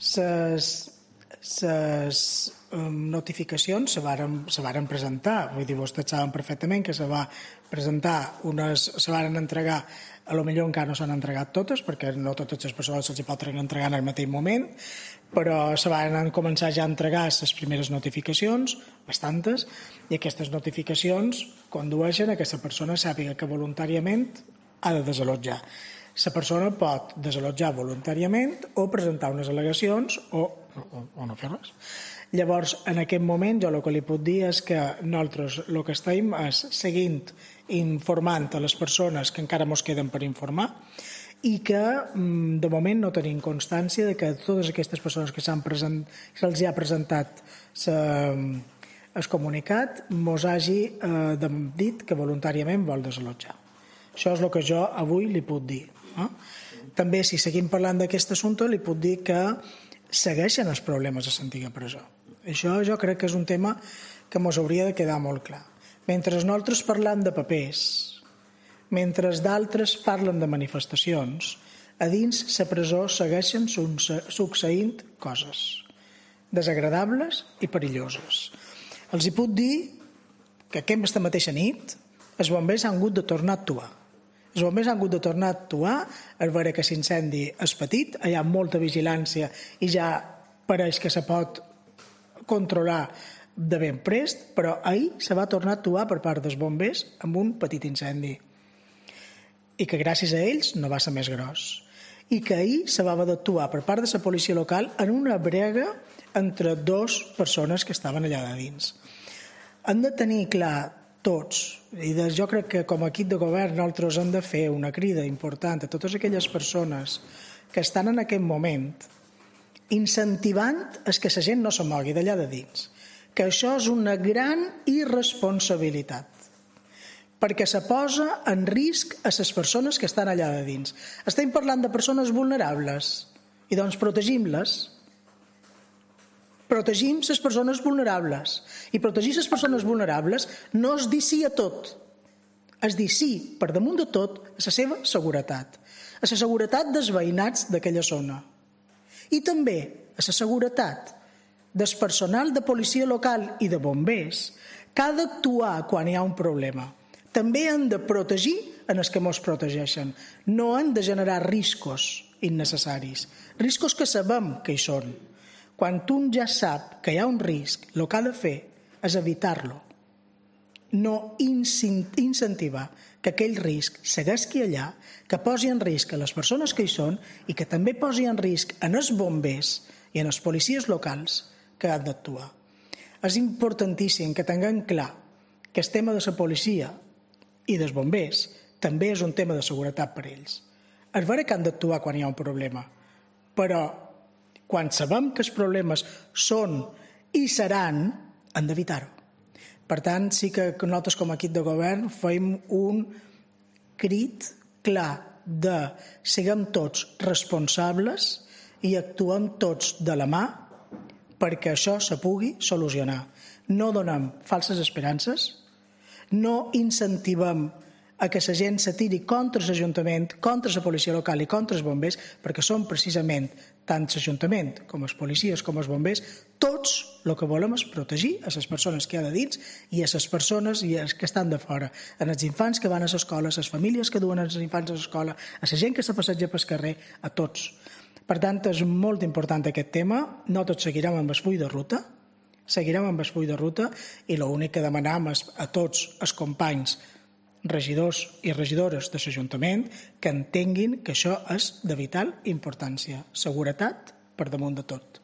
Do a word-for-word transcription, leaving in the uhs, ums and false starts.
Les notificacions se varen, se varen presentar, vull dir, vostès saben perfectament que se va presentar unes, se varen entregar, a lo millor encara no s'han entregat totes, perquè no totes les persones se'ls pot entregar en el mateix moment, però se van començar ja a entregar les primeres notificacions, bastantes, i aquestes notificacions condueixen a que la persona sàpiga que voluntàriament ha de desallotjar. La persona pot desallotjar voluntàriament o presentar unes al·legacions o, o, o no fer res. Llavors, en aquest moment, jo el que li puc dir és que nosaltres el que estem és seguint informant a les persones que encara ens queden per informar i que de moment no tenim constància de que totes aquestes persones que s'han present, se'ls ha presentat el comunicat mos hagi eh, dit que voluntàriament vol desallotjar. Això és el que jo avui li puc dir. Eh? També, si seguim parlant d'aquest assumpte, li puc dir que segueixen els problemes a l'antiga presó. Això jo crec que és un tema que ens hauria de quedar molt clar. Mentre nosaltres parlem de papers, mentre d'altres parlen de manifestacions, a dins la presó segueixen succeint coses desagradables i perilloses. Els hi puc dir que aquesta mateixa nit els bombers han hagut de tornar a actuar. Els bombers han hagut de tornar a actuar a veure que l'incendi és petit, hi ha molta vigilància i ja pareix que se pot controlar de ben prest, però ahir se va tornar a actuar per part dels bombers amb un petit incendi i que gràcies a ells no va ser més gros i que ahir se va haver d'actuar per part de la policia local en una brega entre dues persones que estaven allà de dins. Han de tenir clar tots, i jo crec que com a equip de govern nosaltres hem de fer una crida important a totes aquelles persones que estan en aquest moment incentivant que la gent no se mogui d'allà de dins, que això és una gran irresponsabilitat, perquè se posa en risc a les persones que estan allà de dins. Estem parlant de persones vulnerables, i doncs protegim-les. Protegim les persones vulnerables. I protegir les persones vulnerables no és dir sí a tot, és dir sí, per damunt de tot, a la seva seguretat, a la seguretat dels veïnats d'aquella zona. I també a la seguretat del personal de policia local i de bombers que ha d'actuar quan hi ha un problema. També han de protegir en els que ens protegeixen. No han de generar riscos innecessaris, riscos que sabem que hi són. Quan un ja sap que hi ha un risc, el que ha de fer és evitar-lo. No incentivar que aquell risc segueixi allà, que posi en risc a les persones que hi són i que també posi en risc en els bombers i en els policies locals que han d'actuar. És importantíssim que tinguem clar que el tema de la policia i dels bombers també és un tema de seguretat per a ells. És vera que han d'actuar quan hi ha un problema, però quan sabem que els problemes són i seran, han d'evitar-ho. Per tant, sí que nosaltres com a equip de govern fem un crit clar de siguem tots responsables i actuem tots de la mà perquè això se pugui solucionar. No donem falses esperances, no incentivem a que la gent se tiri contra l'Ajuntament, contra la policia local i contra els bombers, perquè són precisament tant l'Ajuntament com els policies com els bombers, tots el que volem és protegir a les persones que hi ha de dins i a les persones que estan de fora, a els infants que van a l'escola, a les famílies que duen els infants a l'escola, a la gent que se passeja pel carrer, a tots. Per tant, és molt important aquest tema. Nosaltres seguirem amb el full de ruta, seguirem amb el full de ruta i l'únic que demanem és a tots els companys regidors i regidores de l'Ajuntament que entenguin que això és de vital importància. Seguretat per damunt de tot.